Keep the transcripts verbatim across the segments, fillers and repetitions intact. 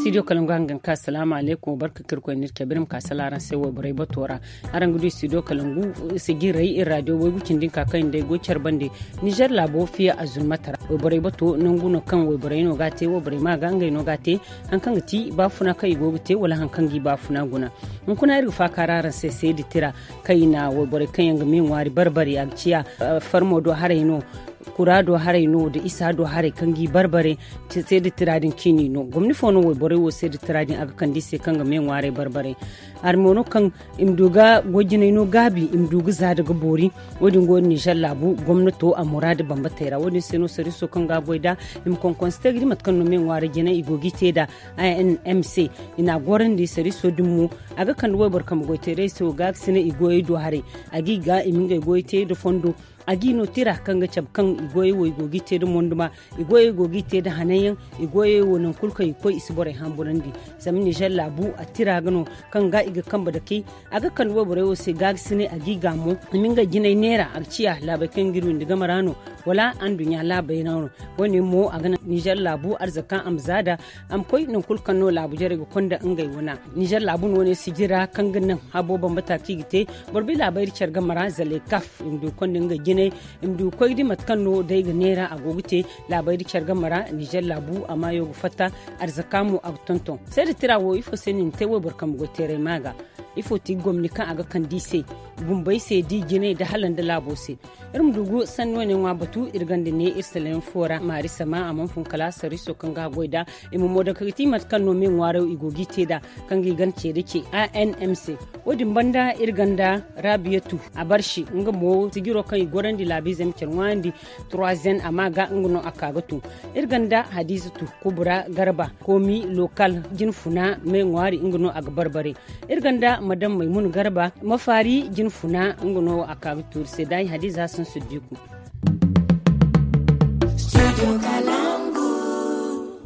Studio kalangu hangan ka salaamu aleykum, barka ka irkoy n'iri cabe iri ma ka sala araŋ se wayborey bato ra. Araŋ ga du studio kalangu sijirey iri radio waygu cindi nka kaŋ iri day goy care bande. Nizer laabo fiya azulmata ra wayborey bato nangu no kaŋ wayborey no ga a te, wayborey ma ga ngey no ga a te. Haŋ kaŋ ga ti baafuna kaŋ i go ga te wala haŋ kaŋ ga i baafuna guna. Hunkuna iri ga faaka ra araŋ se seedi tira kaŋ i na wayborey kaŋ yaŋ ga me ŋwaari barbari a ga ciya farmo do haray no, kura do haray no nda isa do haray kaŋ ga i barbare. Seedi tira din ciini no gomni fo no wayborey wo seedi tira din a ga kande i se kaŋ ga me ŋwaarey barbare. Hari mo no kaŋ i ma du ga goy jinay no gaabi i ma du ga za da ga boori. Wo- din go nizer laabu gomnato a muraada bambatey ra wo- din se no sariiso kaŋ ga a goy nd'a i ma konkonse te ga di mate kaŋ no me ŋwaari jinay i go ga i te nd'a. Inmc i na a gorandi sariiso din mo a ga kande wayboro kambe goy teerey se wo gaakasinay i goyey do haray. A ga i ga i ma ngey goyey te nda fondo. A ga i no tira kaŋ ga cabe kaŋ i goyey wo i go ga i te nda monduma. I goyey go ga i te nda hananyaŋ. I goyey wo nangu kulu kaŋ i ga koy i si borey hamburandi. Zama nizer laabu a tira ga no kaŋ ga i ga kambe dakey. A ga kande wayborey wo se gaakasinay a ga i ga mo i ma ngey jinay neera a ga ciya laabey kaŋ ga iri windi game ra no. Wala anduɲɲa laabey ra no. Wo- ne mo a ga naŋ nizer laabu arzaka a ma za nd'a a ma koy nangu kulu kaŋ no laabu jarey ga konda ngey wana. Nizer laabu no- ne sijira kaŋ ga naŋ habo bambata kaŋ i ga te. Boro bi laabayri care game ra zalay kaf i ma du ga konda ngey jinay. I ma du ga koy ga di mate kaŋ no day ga neera a go ga te. Laabayri care game ra nizer laabu a maayo ga fatta. Arzaka mo a ga tonton seeda tira wo ifo se no i na te wayboro kambe goy teerey ma ga. Ifo ti gomni kaŋ a ga kande i se bumbey se da i jinay nda hala nda laabo se. Iri ma du ga sanni wane ŋwa batu iri ganda ne iri salayaŋ fo ra maari sama a mana fun kala sariiso kaŋ ga a goy nd'a. I ma mo daŋ kaŋ ga ti mate kaŋ no me ŋwaaro i go ga i te nd'a kaŋ ga i gana ce nda ce. Anmc wo- din banda iri ganda raabiyatu a barsi nga mo sijiro kaŋ i gorandi laabiizey ma care ŋwaayandi. Troisième a ma ga nga no a ka ga tun. Iri ganda hadiizatu kubura garba koomi lokal jinfuna me ŋwaari nga no a ga barbare. Iri ganda madam maymuna garba mafaari jinfuna nga no a ka ga tuuri se daayi hadiza sansu diiku.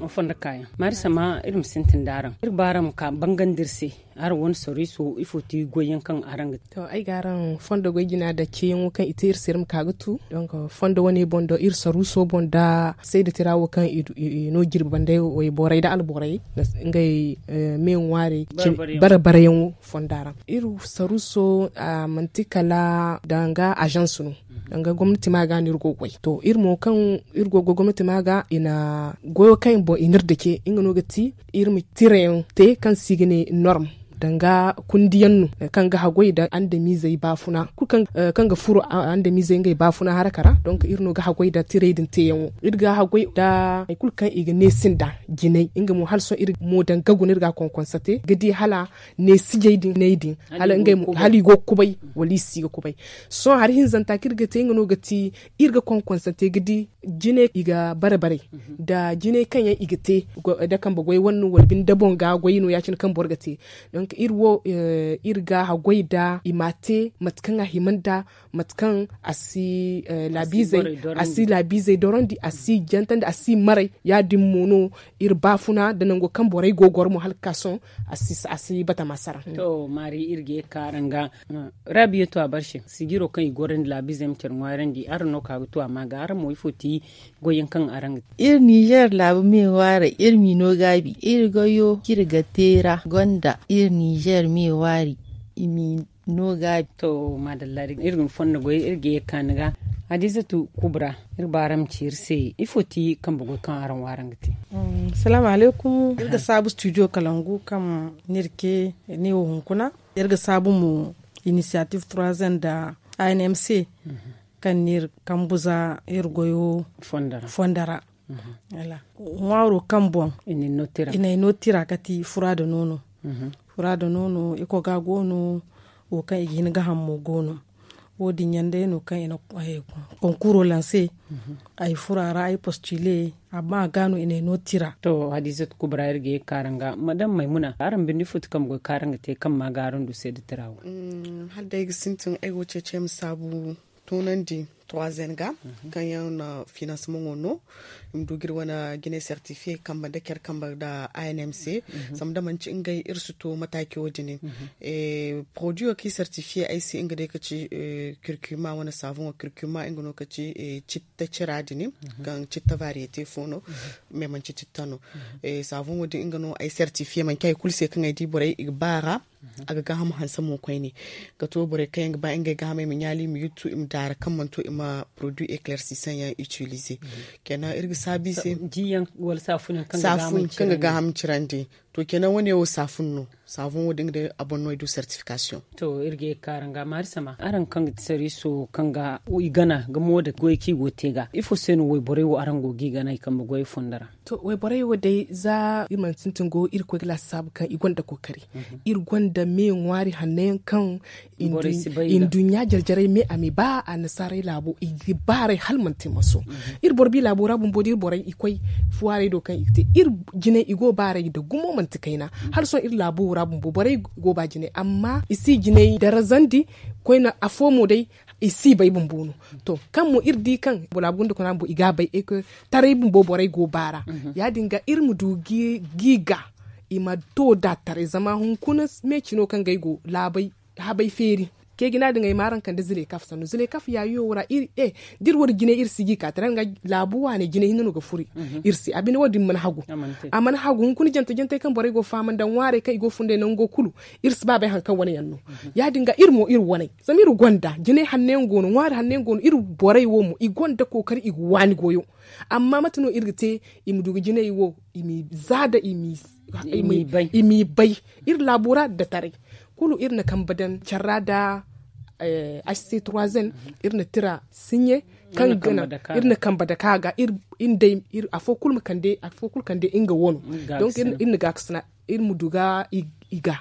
Fondo kaayaŋ maari sama iri ma sintin da araŋ iri ba araŋ ma ka bangandi iri se. Araŋ wane soriiso ifo ti goyyaŋ kaŋ araŋ ga te? To ay ga araŋ fondo goy jina da ceeyaŋo kaŋ i te iri se iri ma ka ga tu. Donk fondo wane boŋ do iri saruuso boŋ da sayda tira wo kaŋ i no jirbi bande wayborey da alborey ngey me ŋwaarey bare bareyaŋo fonda ra. Iri saruuso manti kala danga agence no. Danga gomnati ma ga no iri go ga goy to iri mo kaŋ iri go ga goy gomnati ma ga i na goyo kaŋ boŋ i na iri dake nga no ga ti iri ma tirayaŋ te kaŋ se i ga ne norm danga kundiyaŋ no kaŋ ga haggoy nda andamiizey baafuna kulu kaŋ ga furo andamiizey ngey baafuna haraka ra donk iri no ga haggoy nda tiray din teeyaŋo iri ga haggoy nda hari kulu kaŋ i ga neesi nda jinay nga mo hala sohõ iri mo danga guna iri ga a konkonse te ga di hala neesijey din jinay din hala i go ga kubay wala i si ga kubay. Sohõ hari hinzanta kaŋ iri ga te nga no ga ti iri ga konkonse te ga di jinay i ga bare bare nda jinay kaŋ yaŋ i ga te nda kambe goy wane no wala binde boŋ ga goy no ya- cine kaŋ boro ga te. Donk iri wo iri ga haggoy nda i ma a te mate kaŋ a hima nda mate kaŋ a si laabiizey a si laabiizey dorandi a si jantandi a si maray ya- din mo no iri baafuna nda nango kaŋ borey go ga goro mo hala ga ka sohõ a si batama sara. To maari iri ga ye ga ka araŋ ga. Rabiya to a barse sijiro kaŋ i gorandi laabiizey ma care ŋwaarandi araŋ no ka ga to a ma ga araŋ mo ifo ti goyyaŋ kaŋ araŋ ga te? Iri nizer laabu me ŋwaaray iri m'i no gaabi iri goyo kaŋ iri ga te ra gonda iri nizer me ŋwaari i m'i no gaabi. To maadalla iri ga ni fondo goy iri ga ye ga ka ni ga. Hadiizatu kubra iri ba araŋ ma ci iri se ifo ti kambe goy kaŋ araŋ wo araŋ ga te? Salaamu alaykum iri ga saabu studio kalangu kaŋ ni iri ce ne wo hunkuna. Iri ga saabu mo inisiyatif trois ans nda anmc kaŋ n'iri kambu za iri goyo fondo ra. Ŋwaaro kaŋ boŋ i n'ay no tira kati fura nda noono. Fura nda noono iko ga go no wo kaŋ i ga hin ga haŋ mo go no. Wo- din yaŋ day no kaŋ i na konkuro lanse. Ay fura ra ay postule amma a ga no i n'ay no tira. To hadiizatu kubra iri ga ye ga ka araŋ ga madam maymuna araŋ binde ifo ti kambe goy kaŋ araŋ ga te kaŋ ma ga araŋ du seeda tira wo? Hala day ay ga sintin ay go ga ceeci ay ma saabu toonandi Trois n ga kaŋ yaŋ na finansimaŋo no i ma du ga iri wane jine sertifiye kambe nda care kambe nda a n m c. Zama da manci ngey iri si to mataaci wo- din. Poroduyo kaŋ i sertifiye ay se nga day ka ci kirkuma wane saabuŋo kirkuma nga no ka ci citta cira din, kaŋ citta variyete fo no, mais manci citta no. Saabuŋo din nga no ay sertifiye manci hari kulu se kaŋ ay di borey i ga ba ra. A ga gaaham hanse mo koyne ga to borey kaŋ yaŋ ga ba ngey gaahamey ma ɲaali i ma yuttu i ma daara kaŋ mana to i ma poroduwi eklersisan yaŋ itilize. Kenan iri ga saabu i se. Jiyaŋ wala saafun yaŋ kaŋ ga gaaham cirandi. To kenan wane wo saafun no. Saafun wo- din day a boŋ no i du sertifikasiyoŋ. To iri ga ye ga ka araŋ ga maari sama araŋ kaŋ ga ti sariiso kaŋ ga i gana ga mo da goy kaŋ i go ga te ga ifo se no wayborey wo araŋ go ga i gana i kambe goyey fondo ra? To wayborey wo day za iri mana sintin go iri koy ga laasaabu kaŋ i gonda kookari. Iri gonda me ŋwaari hanno yaŋ kaŋ i nduɲɲa jare jarey me a ma i ba annasaarey laabo i ga baaray hala manti maso. Iri boro bi laabo ra bumbo da iri borey i koy fuwaarey do kaŋ i ga te iri jinay i go baaray nda gumo manti kayna. Hala sohõ iri laabo ra bumbo borey go ba jinay amma i si jinay darazandi. Koyne afo mo day i si bay bumbo no. To kaŋ mo iri di kaŋ boro laabu gunda kuna bumbo i ga a bay e ko taray bumbo borey go baara. Ya- din ga iri ma du ga i ga i ma to da taray zama hunkuna meeci no kaŋ ga ay go laabay habay feeri. Ceejina din ay ma araŋ kande zilekaf sannu zilekaf yaayo wo ra iri e da iri wo- din jinay iri si ga i ka taray nga laabu waaney jinay hinne no ga furo iri se a binde wo- din mana hagu. A mana hagu hunkuna jante jantey kaŋ borey go ga fahamandi nda ŋwaarey kaŋ i go ga funday nango kulu iri si ba bay hari kaŋ wane yaŋ no. Ya- din ga iri mo iri waney zama iri gonda jinay hanno yaŋ go no ŋwaari hanno yaŋ go no iri borey wo mo i gonda kookari i ga waani goyo. Amma mate no iri ga te i ma du ga jinay wo i m'i za da i m'i bay iri laabu ra nda taray kulu iri na kambe daŋ care ra nda h c trois n iri na tira sinɲe kaŋ ga naŋ iri na kambe dake a ga iri nda afo kulu ma kande afo kulu kande nga wano. Donk iri na gaakasina iri ma du ga i ga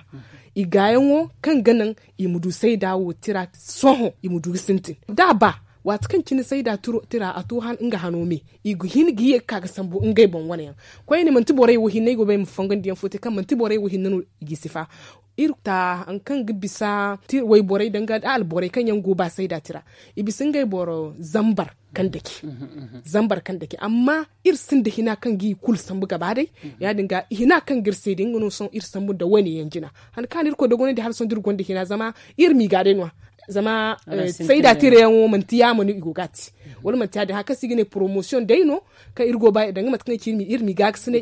i gaayaŋo kaŋ ga naŋ i ma du sayda wo tira sohõ i ma du ga sintin da a ba waati kaŋ cine sayda tira a to nga hano me i ga hin ga ye ga ka ga sambu ngey boŋ wane yaŋ. Koyne manti borey wo hinne ay go ga ba ay ma fongandi yaŋ fo te kaŋ manti borey wo hinne no i g'i sifa. Iri ta hari kaŋ ga bisa wayborey danga da alborey kaŋ yaŋ go ga ba sayda tira i bisa ngey boro zambar kaŋ dake zambar kaŋ dake amma iri sinda hina kaŋ ga i kulu sambu gaba day. Ya- din ga hina kaŋ ga iri se din nga no sohõ iri sambu nda wane yaŋ jina. Hari kaŋ a na irkoy dogonandi hala sohõ da iri gonda hina zama iri m'i ga day no- ya zama sayda tira yaŋo manti yaamo no i go ga a te wala manti ya- din hari kaŋ se i ga ne poromosiyoŋ day no kaŋ iri go ga ba danga mate kaŋ ay ci iri m'i ga ga sine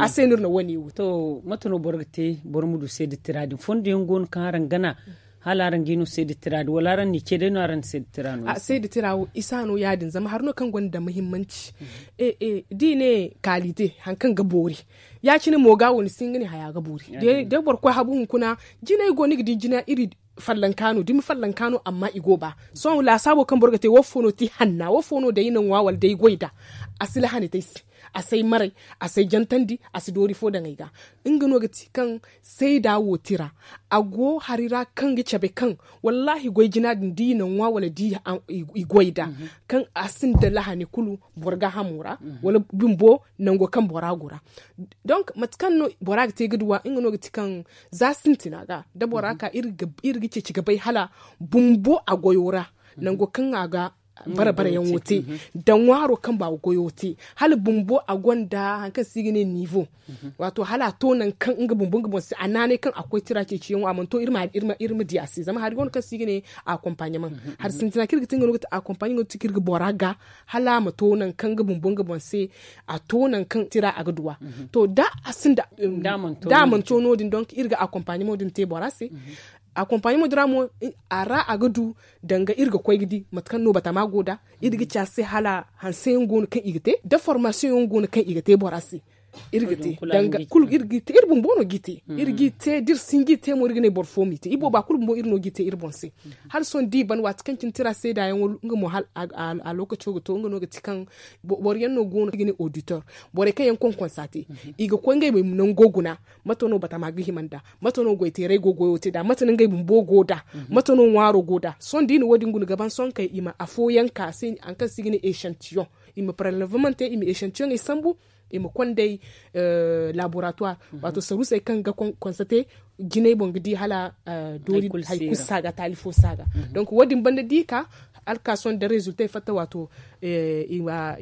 a se no iri na wane wo. To mate no boro ga te boro ma du seeda tira din fondo yaŋ go no kaŋ araŋ gana hala araŋ ga i no seeda tira din wala araŋ n'i ce day no araŋ na seeda tira no? Seeda tira wo isa no ya- din zama hari no kaŋ gonda muhimmanci. Da i ne kaalite hari kaŋ ga boori ya- cine mo ga wo ni si hin ga ne haya ga boori. Da boro koy habu hunkuna jinay go ni ga di jina iri fallanka no dumi fallanka no amma i go ga ba sohõ laasaabo kaŋ boro ga te wo fo no ti hanna wo fo no day na ŋwa wala day goy nd'a a si lahani te ay se. A si ay maray a si ay jantandi a si doori fo daŋ ay ga. Nga no ga ti kaŋ sayda wo tira a go hari ra kaŋ ga cabe kaŋ wallaahi goy jina din da i na ŋwa wala da i goy nd'a kaŋ a sinda lahani kulu boro gaahamo ra wala bumbo nango kaŋ bora go ra. Donk mate kaŋ no bora ga te ga duw'a nga no ga ti kaŋ za sintina ga da bora ka iri ga ceeci ga bay hala bumbo a goyo ra nango kaŋ a ga bare bare yaŋo te da ŋwaaro kaŋ baawo goyo te hala bumbo a gonda hari kaŋ se i ga ne niivo. Waato hala a to nangu kaŋ nga bumbo nga boŋ se a naanay kaŋ a koy tira ceeciyaŋo a mana to iri ma di a se zama hari go no kaŋ se i ga ne akompaɲemaŋ. Hari sintina kaŋ iri ga te nga no ga ti akompaɲemaŋ ga ti kaŋ iri ga bora ga hala a ma to nangu kaŋ nga bumbo nga boŋ se a to nangu kaŋ tira a ga duw'a. To da a sinda da a mana to no- din donk iri ga akompaɲemaŋ din te bora se. Akompaɲemaŋ din ra mo a ra a ga du danga iri ga koy ga di mate kaŋ no batama go nd'a iri ga ci a se hala hanse yaŋ go no kaŋ i ga te da formasiyoŋ yaŋ go no kaŋ i ga te bora se. Iri ga te danga kulu iri g'i te iri bumbo no g'i te iri g'i te da iri si hin g'i te mo iri ga ne boro fo m'i te i booba kulu bumbo iri no g'i te iri boŋ se. Hala sohõ da i ban waati kaŋ cine tira seeda yaŋo nga mo a lookaco ga to nga no ga ti kaŋ boro yaŋ no go no kaŋ i ga ne auditor borey kaŋ yaŋ konkonsa te i ga koy ngey ma nango guna. Mate no batama ga hima nd'a mate no goyteeray go goyo te nd'a mate no ngey bumbo go nd'a mate no ŋwaaro go nd'a sohõ da i na wo- din guna ga ban sohõ kay i ma afooyaŋ ka se hari kaŋ se i ga ne echantiyoŋ i ma parelevemaŋ te i ma echantiyoŋey sambu i ma kondey laboratuwar. Waato saruusey kaŋ ga konsate jinay boŋ ga di hala doori hari kulu si a ga taali fo si a ga. Donk wo- din banda da i ka Alkaason da rezultey fatta waato i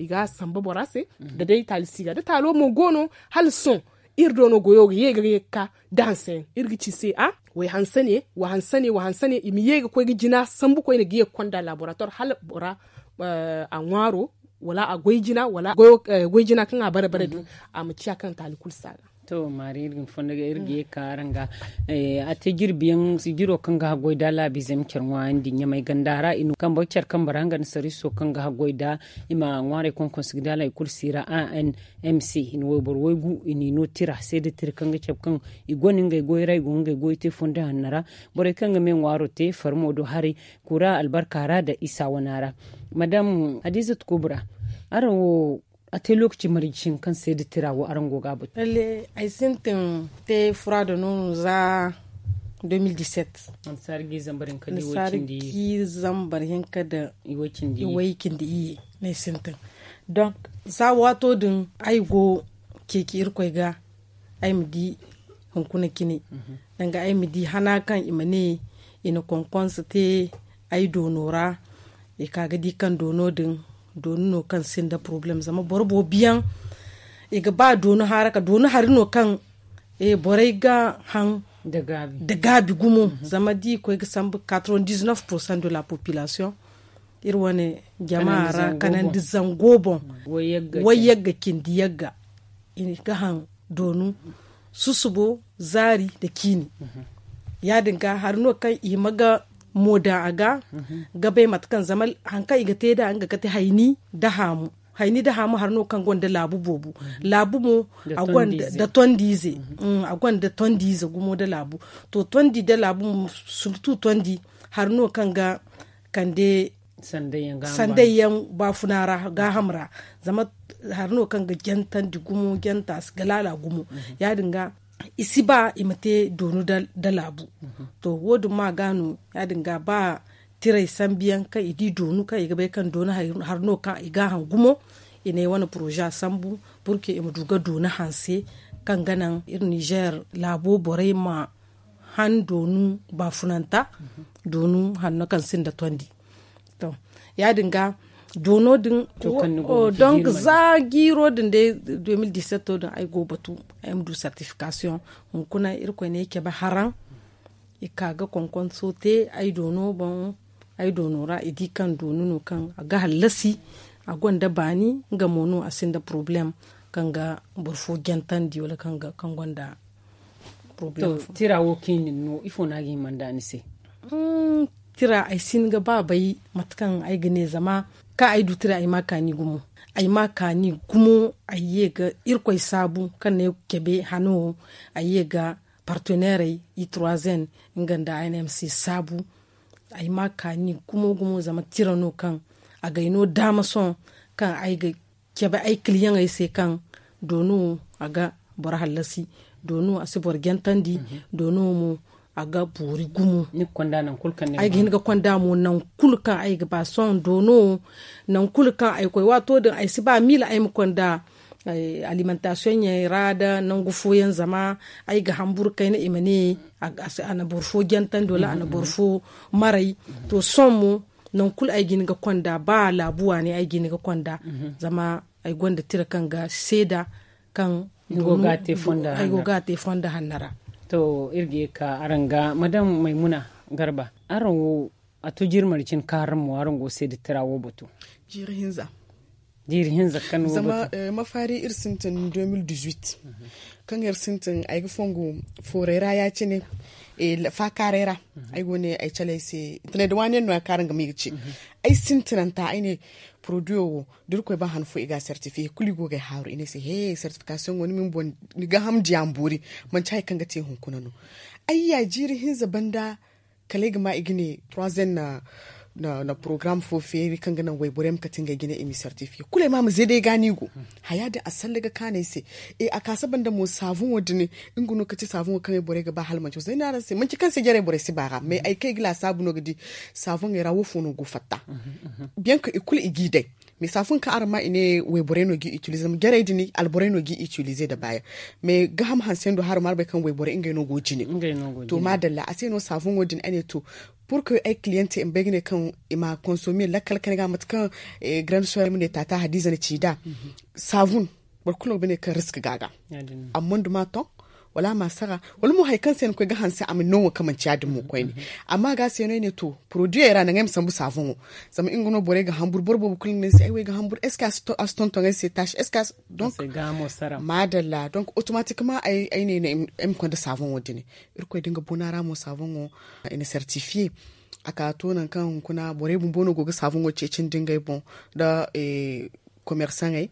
ga a samba bora se. Da day taali si ga da taalo mo go no hala sohõ iri do no goyo ga ye ga ye ga ka da hanseyaŋ iri ga ci se a wa hanse ne wa hanse ne wa hanse ne i ma ye ga koy ga jina sambu koyne ga ye ga konda laborator hala bora a ŋwaaro wala a goy jina wala goy jina kaŋ a bare bare din a ma ciya kaŋ taali kulu si a ga. To maari iri ga ni fondo ga iri ga ye ga ka araŋ ga a te jirbi yaŋ jiro kaŋ ga haggoy da laabiizey ma care ŋwaayandi ɲamay ganda ra i no kambe care kambe ra nga nda sariiso kaŋ ga haggoy da i ma ŋwaarey konkonse ga da laabo kulu siira a n m c i na wayboro waygu i n'i no tira seeda tira kaŋ ga cabe kaŋ i gonda ngey goy ra i go ngey goy te fondo hanno ra. Borey kaŋ ga me ŋwaaro te farmo do haray kura albarka ra nda isa wana ra. Madam hadiizatu kubra, araŋ wo a te lookaci marje cine kaŋ seeda tira wo araŋ go ga a batu? Lalle ay sintin te fura da noonu za deux mille dix-sept. Annasaari ga i zambar hinka da i way cindi iyye. Annasaari ga i zambar hinka da i way cindi iyye no ay sintin. Donk za waato din ay go ceeci irkoy ga ay ma di hunkuna cine. Danga ay ma di hana kaŋ i ma ne i na konkonse te ay doono ra. I ka ga di kaŋ doono din doonu no kaŋ sinda porobalem zama boro boobo yaŋ i ga ba doonu haara ka doonu hari no kaŋ borey ga haŋ da gaabi gumo. Zama da i koy ga sambu quatre-vingt-dix-neuf pour cent de la population iri wane jama ra kanandi zango boŋ. Way yagga cindi yagga i ga haŋ doonu susubo zaari nda ciini. Ya- din ga hari no kaŋ i hima ga moo daŋ a ga ga bay mate kaŋ zama hari kaŋ i ga te nd'a nga ga te hayni nda haamu. Hayni nda haamu hari no kaŋ gonda laabu boobo laabu mo nda tondiize a gonda tondiize gumo nda laabu. To tondi nda laabu mo surtu tondi hari no kaŋ ga kande sandayyaŋ baafuna ra gaaham ra. Zama hari no kaŋ ga jantandi gumo janta si ga laala gumo. Ya- din ga i si ba i ma te doonu nda laabu. To wo- din ma ga no ya- din ga ba tiray sambu yaŋ kaŋ i di doonu kaŋ i ga bay kaŋ doonu hari no kaŋ i gaaham gumo. I ne wane poroza sambu purke i ma du ga doonu hanse kaŋ ga naŋ iri nizer laabo borey ma han doonu baafunanta doonu hanno kaŋ sinda tondi. To ya- din ga doono din donk za jiiro din day deux mille dix-sept din ay go batu ay ma du certification. Hunkuna irkoy ne ay cabe haraŋ i ka ga konkonso te ay doono boŋ. Ay doono ra i di kaŋ doonu no kaŋ a ga hallasi a gonda baani nga mo no a sinda porobalem kaŋ ga boro fo jantandi wala kaŋ gonda porobalem. Tira wo kaŋ i na ni no ifo no a ga hima nda ni se? Tira ay si hin ga ba bay mate kaŋ ay ga ne zama kaŋ ay du tira ay ma a kaani gumo. Ay ma a kaani gumo ay ye ga irkoy saabu kaŋ na ay cabe hano wo ay ye ga parteneerey i trois n nga nda a n m c saabu. Ay ma a kaani gumo gumo zama tira no kaŋ a ga ay no daama sohõ kaŋ ay ga cabe ay kiliyaŋey se kaŋ doonu a ga boro hallasi doonu a si boro jantandi doonu mo a ga boori gumo. Ay ga hin ga konda mo naŋ kulu kaŋ ay ga ba sohõ doonu naŋ kulu kaŋ ay koy waato din ay si ba miila ay ma konda alimantaasiyoŋey ra nda nangu fooyaŋ zama ay ga hamburu kayna i ma ne a na boro fo jantandi wala a na boro fo maray. To sohõ mo naŋ kulu ay ga hin ga konda ba laabu waani ay ga hin ga konda zama ay gonda tira kaŋ ga seeda kaŋ ay go ga a te fonda hanno ra. To iri ga ye ga ka araŋ ga madam maymuna garba araŋ wo a to jiiri marcin kaŋ araŋ mo araŋ go seeda tira wo batu? Jiiri hinza. Jiiri hinza kaŋ no zama mafaari iri sintin deux mille dix-huit kaŋ iri sintin ay ga fongu fooray ra ya-cine. Faakaaray ra ay go ne ay cale ay se tanay da waani yaŋ no ya kaŋ araŋ ga ma i ga ce ay sintinanta ay ne poroduyo wo da irkoy ba han fo i ga a sertifiye kulu i go ga ay haaru i ne ay se he sertifikasiyoŋo ni ma ni boŋ ni gaaham diya ma boori. Manci hari kaŋ ga te hunkuna no. Ay ya jiiri hinza banda kala ay ga ma i ga ne trois n na porogaram fo feeri kaŋ ga naŋ wayborey ma kate ngey jine i m'i sertifiye kulu ay ma a ma zeeday ga ni go. Haya din a salle ga kaanu ay se. A kaasa banda mo saabuŋo din nga no ga ti saabuŋo kaŋ ay borey ga ba hala manci wo zama ay ne araŋ se manci kaŋ se jarey borey si ba a ra mais ay kaŋ ay ga laasaabu no ga di saabuŋey ra wo fo no go fatta. Biyanka i kulu i g'i day mais saabuŋ kaŋ araŋ ma i ne wayborey no g'i itilize zama jarey din alborey no g'i itilize nda baaya. Mais gaaham hanse nda haro ma araŋ bay kaŋ wayborey ngey no go jine. To maadalla a se no saabuŋo din a ne to Pour que ay cliente i ma bay ga ne kaŋ i ma consommer lakkal kayna ga mate kaŋ grande soeur ay ma ne taata hadiza na ci nd'a. Saabun boro kulu no ga bay ne kaŋ risk ga a ga. Amma nda ma ton wala a ma sara wala mo hari kaŋ se ni koy ga hanse a ma ni no wo kaŋ manci ya- din mo koyne. Amma a ga se no ay ne to, produit ay ra naŋ ay ma sambu saaboŋo. Zama nga no borey ga hamburu boro boobo kulu ga ne ni se ay wo ay ga hamburu est ce que a si tonton ay se taaci est ce que a si? Donc maadalla donc automatiquement ay ne ay ma konda saaboŋo din. Irkoy da nga boona ra mo saaboŋo i na certifier. A ka to nangu kaŋ hunkuna borey bumbo no go ga saaboŋo ceeci nda ngey boŋ nda commerçantey,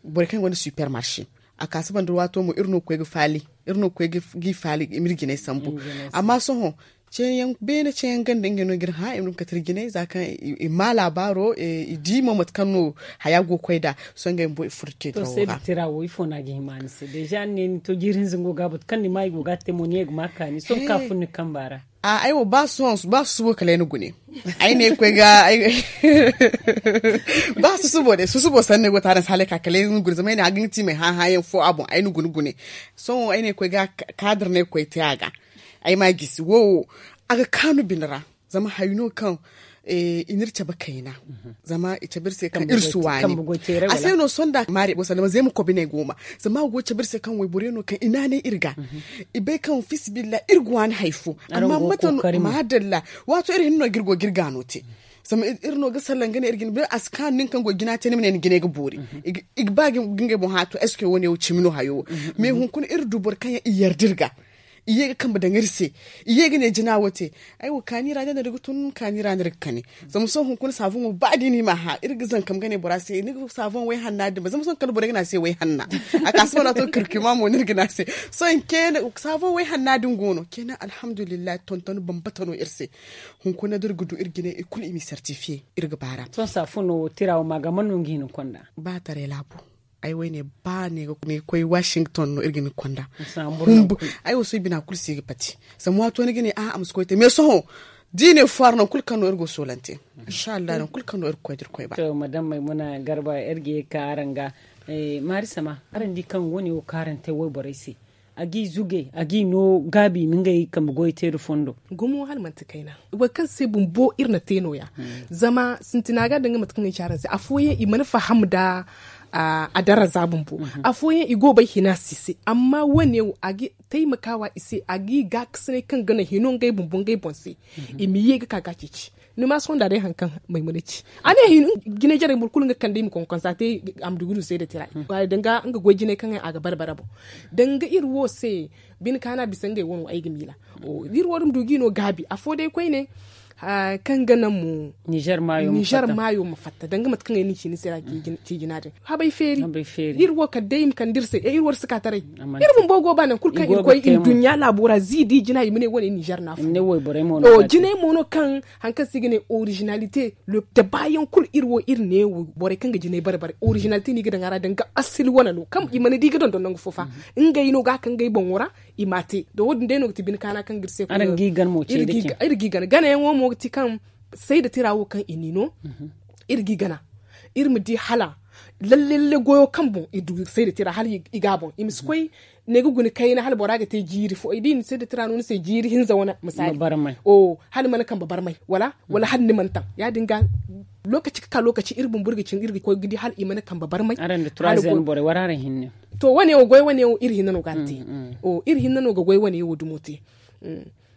borey kaŋ gonda super marché. A ka si banda waato mo iri no ga koy ga faali iri no ga koy g'i faali i m'iri jinay sambu. Amma sohõ ceeyaŋ beene ceeyaŋ ganda ngey no ga iri hã i ma du ma kate iri jinay za kaŋ i ma labaaro i di mo mate kaŋ no haya go ga koy nd'a. Sohõ ngey bumbo i furo teedirawo ra. Tira wo ifo no a ga hima ni se deja ni ne ni to jiiri hinza nga go ga batu kaŋ ni ma i go ga a te mo ni ye ga ma kaani sohõ ka fun ni kamba ra. Ay wo ba susubo kala ay na gune. Ay ne ay koy ga ba susubo day susubo sanni ay go taara ni se hala ay ka kala ay na gune zama ay ne a ga nga ti may hã hã yaŋ fo a boŋ ay na gune gune. Sohõ ay ne ay koy ga kaadar no ay koy te a ga. Ay ma a gisi wo a ga kaanu bine ra. Zama hari no kaŋ i n'iri cabe kayna. Zama i cabe iri se kaŋ iri si waani. A se no sohõ nda maari boro sanda zama zay ma koy bine gooma. Zama a go ga cabe iri se kaŋ wayborey no kaŋ i naanay iri ga. I bay kaŋ fiisabilillahi iri ga waani hari fo. Amma mate no maadalla. Waato iri hinne no ga iri go ga iri gaano te. Zama iri no ga sallah nga ne iri ga ni bay a si kaanu nin kaŋ go ga jina te ni ma ne ni jinay ga boori. I ga ba ga ngey boŋ hã to est ce que wo- ne wo cimi no hayo wo? Mais hunkuna iri du boro kaŋ yaŋ i yarda iri ga. I ye ga kambe daŋ iri se. I ye ga ne jina wo te. Ay wo kaani ra day no iri ga tun kaani ra no iri ga kani. Zama sohõ hunkuna saabuŋo ba da i na i m'a hã iri ga zankam ga ne bora se ni ga saabuŋ wayhanna din ba zama sohõ kala borey ga ne a se wayhanna. A ka si mana to kirkima mo no iri ga ne a se. Sohõ ceene saabuŋ wayhanna din go no ceene alhamdulillahi tonton bambata no iri se. Hunkuna da iri ga du iri jinay i kulu i m'i certifiye. Iri ga baara. Sohõ saabuŋo tira wo ma ga mana no nga hin ga konda? Ba taray laabo. Ay wo ay ne ba ne ga koy washington no iri ga hin ga konda. Ay wo sohõ i bina kulu si ga pati. Zama waato ni ga ne a a ma si koy te mais sohõ da i ne foire nangu kulu kaŋ no iri go ga soolante. Inshallah nangu kulu kaŋ no iri ga koy da iri koy ba. To madam maymuna garba iri ga ye ga ka araŋ ga. Maari sama araŋ di kaŋ wo- ne wo kaŋ araŋ te wayborey se a g'i zugay a g'i no gaabi i ma ngey kambe goy te nda fondo. Gumo hala manti kayna. Boro kaŋ se bumbo iri na te no- ya. Zama sintina ga danga mate kaŋ ay ci araŋ se afooyaŋ i mana faham nda a daraza bumbo. Afooyaŋ i go ga bay hina se i se amma wo- ne wo a ga taimakawa i se a g'i gaakasinay kaŋ ga naŋ hino ngey bumbo ngey boŋ se. I ma ye ga ka ga a ceeci. Ni ma sohõ nda day hari kaŋ maymuna ci a ne hin jinay jarey boro kulu nga kande i ma konkonsa te. A ma du ga du se nda tira i danga nga goy jinay kaŋ a ga barbara boŋ. Danga iri wo se bine kaana bisa ngey wano ay ga miila. Iri wo- din ma du g'i no gaabi afo day koyne. Kaŋ ga naŋ mo nizer maayo ma fatta danga mate kaŋ ay na ni ci ni se ra. Ci jina din habay feeri. Iri wo kala day i ma kande iri se iri wo iri si ka taray. Iri bumbo go ba nangu kulu kaŋ iri koy iri duɲɲa laabo ra zi da i jina i ma ne wane nizer no a fo. Jinay mo no kaŋ hari kaŋ se i ga ne originalité. Da baayaŋ kulu iri wo iri ne borey kaŋ ga jinay bare bare originalité no i ga daŋ a ra danga asali wane no kaŋ i mana di ga dondon nangu fo fa. Ngey no ga a kaŋ ngey boŋo ra i m'a te da wo- din day no ga ti bine kaana kaŋ ga iri se. Iri g'i gana ganayaŋo mo ga ti kaŋ sayda tira wo kaŋ i n'i no. Iri g'i gana iri ma di hala lalle lalle goyo kaŋ boŋ i du sayda tira hala i ga a boŋ i ma si koy ne ga guna kayna hala bora ga te jiiri fo da i na sayda tira no ni se jiiri hinza wane misali. Hala ni mana kambe barmay wala wala hala ni mana taŋ ya- din ga. Lokaci ga ka lokaci iri bumbo iri ga cin iri ga koy ga di hala i mana kambe barmay. To wane wo goy wane wo iri hinne no ga a te. Iri hinne no ga goy wane wo dumo te.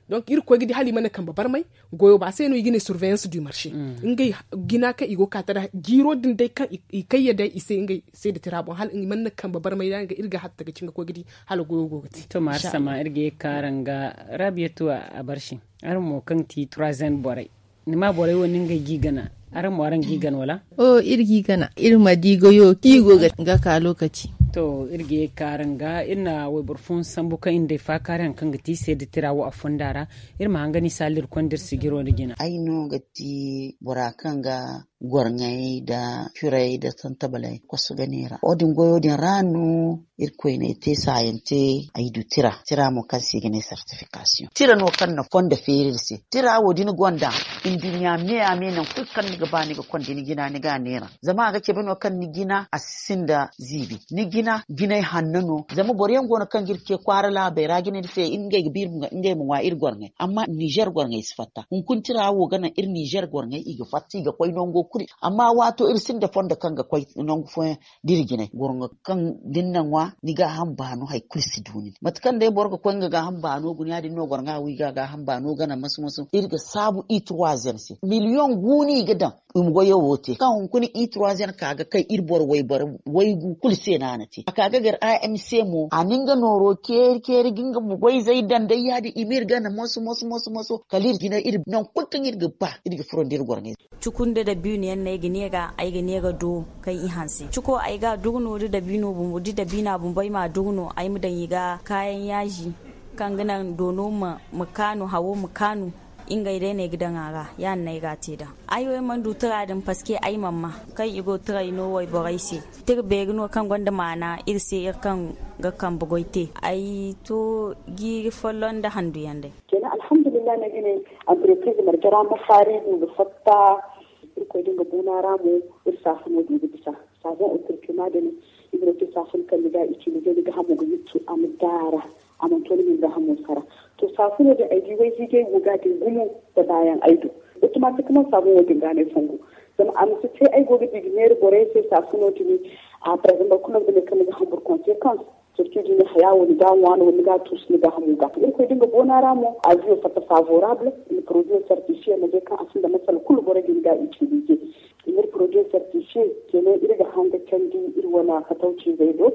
Donc iri ga koy ga di hala i mana kambe barmay goyo ba a se no i ga ne surveillance du marché. Ngey jina kaŋ i go ga ka tara jiiro din day kaŋ i kayya day i se ngey se da tira boŋ hala i mana kambe barmay da nga iri ga hatta ga cin ga koy ga di hala goyo go ga te. To maari sama iri ga ye ga ka araŋ ga raabiyatu a barsi. Araŋ mo kaŋ ti troisième borey ni ma borey wo no ngey g'i gana. Araŋ mo araŋ g'i gana wala? Iri g'i gana iri ma di goyo kaŋ i go ga ka lokaci. To iri ga ye ga ka araŋ ga iri na wayboro fooyaŋ sambu kaŋ iri na day faakaari hari kaŋ ga ti seeda tira wo a fonda ra. Iri ma hanga ni saala iri konda iri sijiro nda jina. Ay no ga ti bora kaŋ ga gorŋey nda curay nda santabaley kosu ga neera wo- din goyo din ra no. Irkoy no ay te saayante ay du tira tira mo kaŋ se i ga ne sertifikasiyoŋ tira no kaŋ na fondo feeri iri se. Tira wo da ni gonda nduɲɲa me a me nangu kulu kaŋ ni ga ba ni ga konda ni jina ni ga a neera. Zama a ga cabe no kaŋ ni jina a si sinda ziibi ni jina jinay hanno no. Zama boro yaŋ go no kaŋ ga iri ce kwaara laabey ra jinay se ngey ga ba ngey ma ŋwa iri gorŋey amma ninzeer gorŋey si fatta hunkuna tira wo ga naŋ iri ninzeer gorŋey i ga fatta i ga koy nango kulu. Amma waato iri sinda fondo kaŋ ga koy nangu fooyaŋ da iri jinay gorŋo kaŋ da ni na ŋwa ni gaaham baano hari kulu si du nin mate kaŋ day boro ga koy nga gaaham baano guna ya- din no gorŋa wo i ga gaaham baano gana masu masu iri ga saabu i turwazen se miliyoŋ gu no i ga daŋ. I ma goyo wo te kaŋ hunkuna i turwazen ka ga kay iri boro wayboro waygu kulu se no a na te a ka ga gar a m c mo a na nga nooro ceeri ceeri ga nga ma goyzey daŋ day ya- din i ma iri gana masu masu masu masu kala iri jinay iri nangu kulu kaŋ iri ga ba iri ga furo nda iri gorŋey. Cuku nda dabiino yaŋ no ay ga ne ga ay ga ne ga do kaŋ i hanse cuko ay ga a duru no da dabiino bumbo da dabiina bumbo ay ma a duru no ay ma daŋ i ga kaayaŋ yaazi kaŋ ga naŋ doono ma kaanu hawo ma kaanu. Ngey day no ay ga daŋ a ra ya- din no ay ga a te nd'a. Ay wo ay mana du tira din paske ay mana ma kaŋ i go tiray no wayborey se. Tira beeri no kaŋ gonda maana iri se iri kaŋ ga kambe goy te ay to jiiri folloŋ nda handu yaŋ day. Kenan alhamdulillahi no ay ga ne. Anterepriz marje ra ma faari i ma fatta. Irkoy din ga buuna ra mo iri saafuno din ga bisa. Saabon otorkima din. Iri wo te saafun kaŋ ni ga itilize ni ga hamo ga yuttu a ma daara. A mana to ni ma ni ga hamo sara. To saafuno din ay di wayhiijay go ga din gumo. Da baayaŋ ay du. Otomatikman saabon wo din ga no ay fongu. Zama a ma si te ay go ga di ga neera borey se saafuno din. A par exemple boro kulu no ga ne kaŋ ni ga hamburu konsekans. Surtout da ni haya wo ni ga a ŋwa no wala ni ga a tuusu ni ga a hamu ga. Irkoy din ga boona ra mo a ga yo fatta favorable. Ni produit certifier ma bay kaŋ a sinda masala kulu borey din ga utiliser. Ni iri produit certifier kenan iri ga hanga candi iri wane fatawciizey do.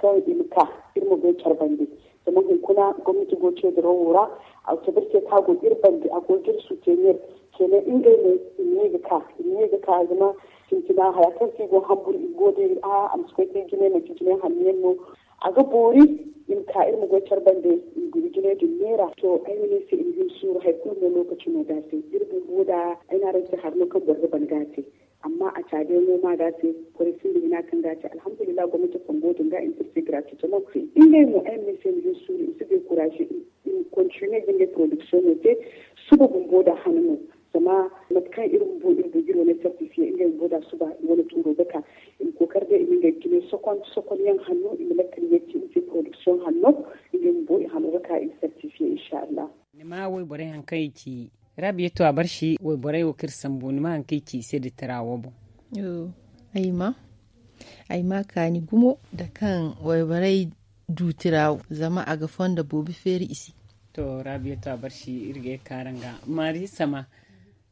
Kaŋ i ma ka iri ma goy care bande. Zama hunkuna gomnati go ceediro wo ra. A ga cabe iri se kaŋ a go iri bande a go ga iri sutenir. Kenan ngey mo i ma ye ga ka i ma ye ga ka zama sintina haya kaŋ se i go hamburu i go day a ma si koy te jinay manti jinay hanno yaŋ no. A ga boori i ma ka iri ma goy care bande. I ma guna jinay din neera to ay ma ne ay se i ma hin suuru hari kulu mo lokaci no ga a te. Iri bumbo da ay ne araŋ se hari no kaŋ boro ga ban ga a te. Amma a caadiyaŋo ma ga a te. Borey sinda hina kaŋ ga a te alhamdulillahi gomnati fongo din ga i ma te iri se gratuitement. Ngey mo ay ma ne ay se i ma hin suuru i ma si dekuraze i ma kontiniye ga ngey produksiyoŋo te. Suba bumbo da hana no. Zama mate kaŋ iri bumbo iri bujiro ne sartifiye ngey bumbo da suba i wane tuuro ga ka. I ma kookari day i ma ngey jine sokon sokon yaŋ hanno i ma lakkal yeeti i ma te produksiyoŋ hanno. Ngey bumbo i hano ga ka i ma sartifiye insha allah. Ni ma wayborey hari kaŋ i ci rabiya to a barsi wayborey wo kaŋ iri sambu ni ma hari kaŋ i ci i se da tira wo boŋ. Ay ma ay ma kaani gumo nda kaŋ wayborey du tira wo zama a ga fondo boobo feeri i se. To rabiya to a barsi iri ga ye ga ka araŋ ga maari sama.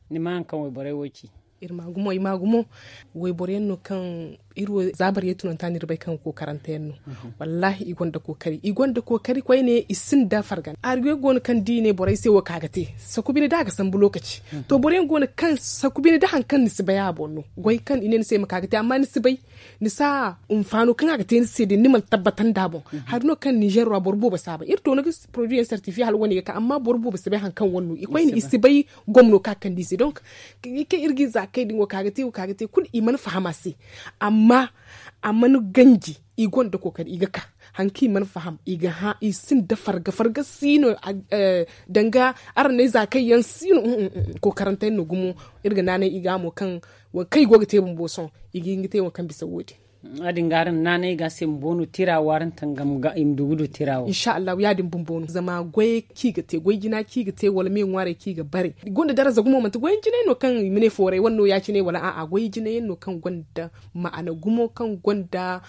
Ni ma hari kaŋ wayborey wo ci. Iri ma gumo i ma gumo. Wayboro yaŋ no kaŋ iri wo za bari ye tunanta no iri bay kaŋ ga kookarante yaŋ no. Wallahi i gonda kookari i gonda kookari koyne i sinda fargana hari yaŋ go no kaŋ da i ne borey se wo ka ga te. Saku bine da a ga sambu lokaci. To boro yaŋ go no kaŋ saku bine da hari kaŋ ni si bay a boŋ no goy kaŋ i ne ni se ma ka ga te amma ni si bay. Ni si a hunfaano kaŋ a ga te ni se din ni mana tabbata nd'a boŋ. Hari no kaŋ ninzeer ra boro boobo si a bay iri to ni ga poroduwi yaŋ sartifiye hala wane ga ka amma boro boobo si bay hari kaŋ wane no i koyne i si bay. Gomno ka kande i se donk kaŋ iri ga i za kay din wo ka ga te wo ka ga te kulu i mana faham a se. Amma a mana ganji i gonda kookari i ga ka hari kaŋ i mana faham i ga hã i sinda farga farga si no. Danga araŋ ne za kay yaŋ si no. Kookarante yaŋ no gumo iri ga naanay i ga mo kaŋ wo kaŋ i go ga te bumbo sohõ i ga hin ga te wo kaŋ bisa wo- din. Ya- din ga araŋ naanay ga se bumbo no tira wo araŋ tangam ga i ma du ga du tira wo insha allahu ya- din bumbo no zama goy kaŋ i ga te goy jina kaŋ i ga te wala me ŋwaarey kaŋ i ga bare i gonda daraza gumo manti goy yaŋ jinay no kaŋ i ma ne fooray wane no ya- cine wala a'a goy jinay yaŋ no kaŋ gonda ma'ana gumo kaŋ gonda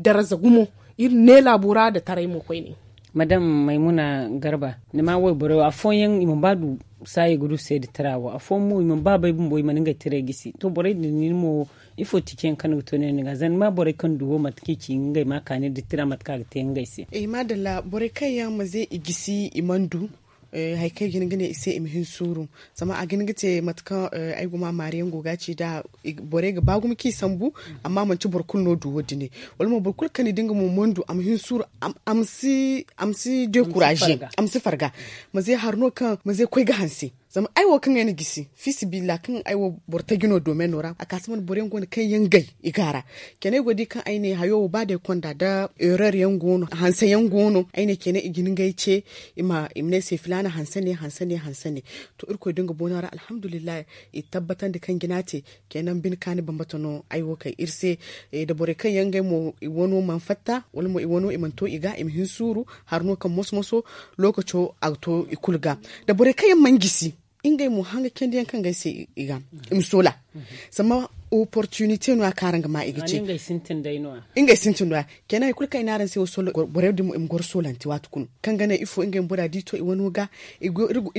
daraza gumo. Iri ne laabo ra nda taray mo koyne. Madam maymuna garba ni ma wayborey wo afooyaŋ i mana ba du saayey ga du seeda tira wo afooyaŋ mo i mana ba bay bumbo i mana ngey tirey gisi to borey din nin mo ifo tici yaŋ kaŋ ni ga to ne ni ga zama ni ma borey kaŋ du wo mate kaŋ i ci ngey ma kaani nda tira mate kaŋ a ga te ngey se. Maadalla borey kaŋ yaŋ ma ze i gisi i mana du hari kaŋ i ga hin ga ne i se i ma hin suuru. Zama a ga hin ga te mate kaŋ ay ga ma maari yaŋ go ga a ci nd'a borey ga ba gumo kaŋ i sambu. Amma manti boro kulu no du wo- din wala mo boro kulu kaŋ ni di nga mo mana du a ma hin suuru a ma si dekuraze a ma si farga. Ma ze hari no kaŋ ma ze koy ga hanse. Zama ay wo kaŋ ay na gisi fiisabilillahi kaŋ ay wo boro taji no doomeno ra a ka si mana boro yaŋ go no kaŋ yaŋ gay i ga a ra. Kene ay go ga di kaŋ ay ne hayo wo ba day konda nda erreur yaŋ go no hanse yaŋ go no ay ne kene i ga hin ga ay ce. I ma ne ay se filaana hanse ne hanse ne hanse ne. To irkoy da nga boona ra alhamdulillahi i tabbatandi kaŋ jina te. Kene bine kaani bambata no ay wo kay iri se. Da borey kaŋ yaŋ ngey mo i wano mana fatta wala mo i wano i mana to i ga i ma hin suuru. Hari no kaŋ moso moso lookaco a ga to i kulu ga. Da borey kaŋ yaŋ mana gisi ngey mo hanga candi yaŋ kaŋ ga ay se i ga i ma soola. Zama opportunité no- ya kaŋ araŋ ga ma i ga ce. Ngey sintin da ya kena hari kulu kaŋ i ne araŋ se wo soola borey din mo i ma goro soolante waati kulu kaŋ ga naŋ ifo ngey ma bora di to i wano ga. I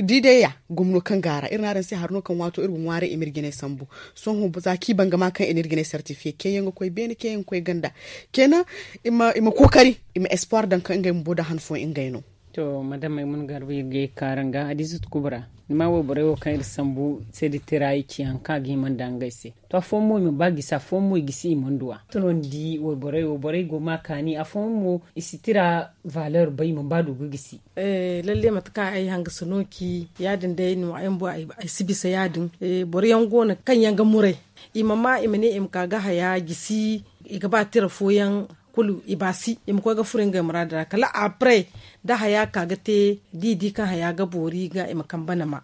di day ya gomno kaŋ ga a ra iri ne araŋ se hari no kaŋ waato iri ga ŋwaaray i ma iri jinay sambu. Sohõ za kaŋ i ban ga ma kaŋ i na iri jinay sartifiye kayyaŋ ga koy beene kayyaŋ ga koy ganda. Kena i ma kookari i ma espoir daŋ kaŋ ngey bumbo da han fooyaŋ ngey no. To madam ay mana garba iri ga ye ga ka araŋ ga hadiizatu kubra. Ni ma wayborey wo kaŋ iri sambu se da tira i ci hari kaŋ a ga hima nda ngey se. To afooyaŋ mo i mana ba gisi afooyaŋ mo i gisi i mana du a to no ni di wayborey wo borey go ma kaani afooyaŋ mo i si tira valeur bay i mana ba du ga gisi. Lalle mate kaŋ ay hangasa no ci ya- din day no ay bumbo ay si bisa ya- din. Boro yaŋ go no kaŋ yaŋ ga muray i ma ma i ma ne i ma ka ga haya gisi. I ga ba tira fooyaŋ kulu i baasi i ma koy ga furo ngey muraadu ra kala après da haya ka ga te da i di kaŋ haya ga boori ga i ma kambe nama.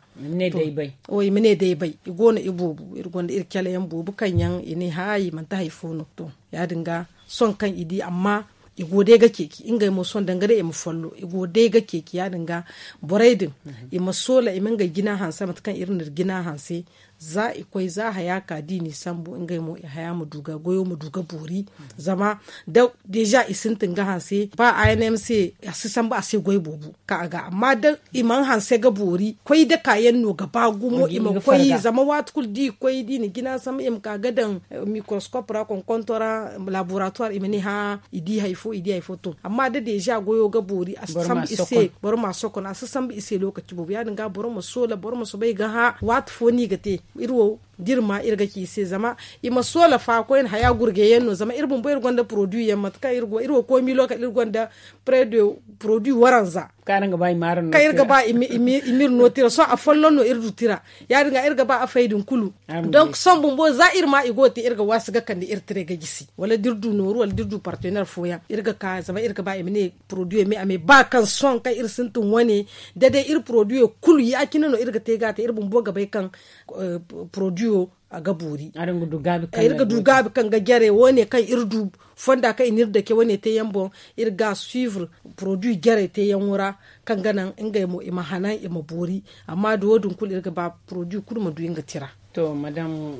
I ma ne day bay i go no i boobo iri gonda iri cala yaŋ boobo kaŋ yaŋ i ne haayi manti hari fo no to ya- din ga sohõ kaŋ i di amma i go day ga ceeci ngey mo sohõ danga day i ma follo i go day ga ceeci ya- din ga borey din i ma soola i ma ngey jina hanse mate kaŋ iri na iri jina hanse. Za i koy za haya ka da i n'i sambu ngey mo i haya ma du ga goyo ma du ga boori. Zama da deeza i sintin ga hanse ba a n m c a si sambu a se goy boobo kaŋ a ga amma da i mana hanse ga boori koy da kaayaŋ no ga ba gumo i ma koy zama waati kulu da i koy da i na jina sambu i ma ka ga daŋ microscope ra konkonto ra laboratoire i ma ne hã i di hari fo i di hari fo to amma da deeza goyo ga boori a si sambu i se boro ma a sokon a si sambu i se lookaci boobo ya- din ga boro ma soola boro ma soobay ga hã waati fo no i ga te. Iri wo da iri ma iri ga ci i se zama i ma soola fa koyne haya gurje yaŋ no zama iri bumbo iri gonda produit yaŋ mate kaŋ iri wo koomi lookal iri gonda près de produit waranza kaŋ iri ga ba i ma iri no tira sohõ afolloŋ no iri du tira. Ya- din ga iri ga ba afey din kulu. Donc sohõ bumbo za iri ma i go ga te iri ga waasi ga kande iri tiray ga gisi wala da iri du nooru wala da iri du partenaire fooyaŋ iri ga ka zama iri ga ba i ma ne produit me a me ba kaŋ sohõ kaŋ iri sintin wane da day iri produit kulu ya- cine no iri ga te ga a te iri bumbo ga bay kaŋ produit a ga boori. Iri ga du gaabi kaŋ ga jare wo- ne kaŋ iri du fonda kaŋ i na iri dake wo- ne te yaŋ boŋ iri ga suivre produit jare te yaŋo ra kaŋ ga naŋ ngey mo i ma hanan i ma boori. Amma da wo- din kulu iri ga ba produit kulu ma du nga tira. To madam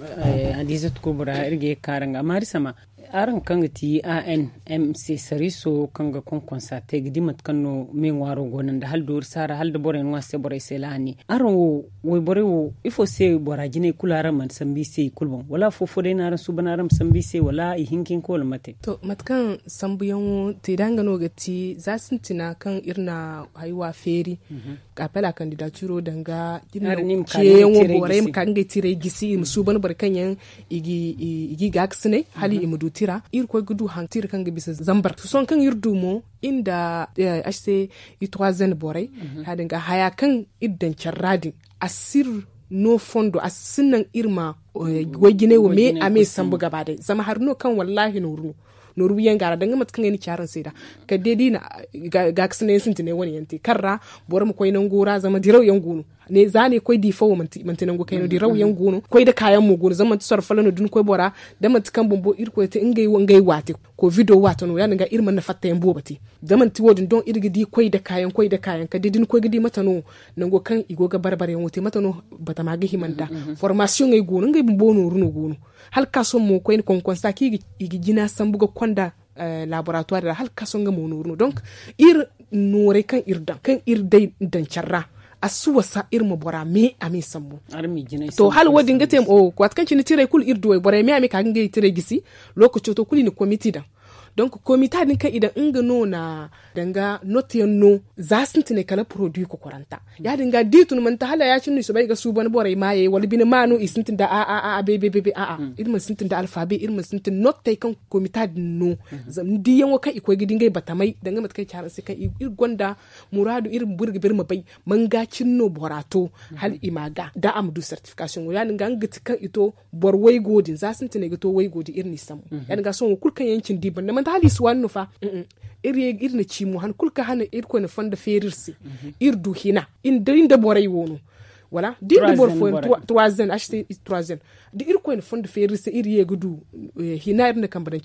hadiizatu kubra iri ga ye ga ka araŋ ga amma iri sama araŋ kaŋ ga ti a n m c sariiso kaŋ ga konkonsa te ga di mate kaŋ no me ŋwaaro go no nda hala doori saara hala da borey ŋwa se borey se laani araŋ wo wayborey wo ifo se bora jinay kulu araŋ mana sambu i se i kulu boŋ wala afo fo day no araŋ suuban araŋ ma sambu i se wala i hinka hinka wala mate? To mate kaŋ sambuyaŋo te da nga no ga ti za sintina kaŋ iri na haywa feeri appel à candidature danga ceeyaŋo borey ma ka ga ngey tiray gisi i ma suuban boro kaŋ yaŋ i ga i gaakasinay hala i ma du tira iri koy ga du haŋ tira kaŋ ga bisa zambar sohõ kaŋ iri du mo iri nda h c i trois n borey ya- din ga haya kaŋ iri daŋ care ra din a si iri no fondo a si naŋ iri ma goy jinay wo me a me sambu gaba day zama hari no kaŋ wallahi nooru no nooru wiyaŋ ga a ra danga mate kaŋ ay na ci araŋ se nd'a kala day da i na gaakasinay yaŋ sintinay wane yaŋ te kaŋ ra boro ma koy nango ra zama diraw yaŋ go no za no ay koy di fo wo manti nango kayna diraw yaŋ go no koy nda kaayaŋ mo go no zama manti sorro folloŋ no da ni koy bora da manti kaŋ bumbo irkoy te ngey waate kovido waate no ya- din ga iri mana fattayaŋ boobo te da manti wo- din doŋ iri ga di koy nda kaayaŋ koy nda kaayaŋ kala day da ni koy ga di mate no nango kaŋ i go ga bare bare yaŋo te mate no batama ga hima nd'a formasiyoŋey go no ngey bumbo nooru no go no hala ga ka sohõ mo koyne konkonsa kaŋ i ga jina sambu ga konda laboratoire ra hala ga ka sohõ nga mo nooru no donc iri noorey kaŋ iri daŋ kaŋ iri day daŋ care ra a si wasa iri ma bora me a me sambu. To hala wo- din ga te waati kaŋ cine tirey kulu iri du wayborey me a me ka ga ngey tirey gisi lookaco to kulu i na komiti daŋ Donc komita din kaŋ i daŋ nga no na danga note yaŋ no za sintinay kala produit kokoranta. Ya- din ga da i tun manti hala ya- cine no i soobay ga suuban borey maayey wala bine ma no i sintin da a a a a bay bay bay bay a a iri mana sintin da alfaabe iri mana sintin nottey kaŋ komita din no. Zama ni diyaŋo kaŋ i koy ga di ngey batamay danga mate kaŋ i ci haraŋ se kaŋ iri gonda muraadu iri ma buru ga ba iri ma bay manga cine no bora to hala i ma ga da a ma du certification wo ya- din ga nga ga ti kaŋ i to boro waygo din za sintinay ga to waygo din iri n'i sambu. Ya- din ga sohõ wo kulu kaŋ yaŋ cindi banda manti hala i si waani no fa. Iri na ci mo han kulu kaŋ hane irkoy na fondo feeri iri se. Iri du hina iri nda borey wo no wala da iri nda boro fooyaŋ trois ans aste trois ans da irkoy na fondo feeri iri se iri ye ga du hina iri na kambe daŋ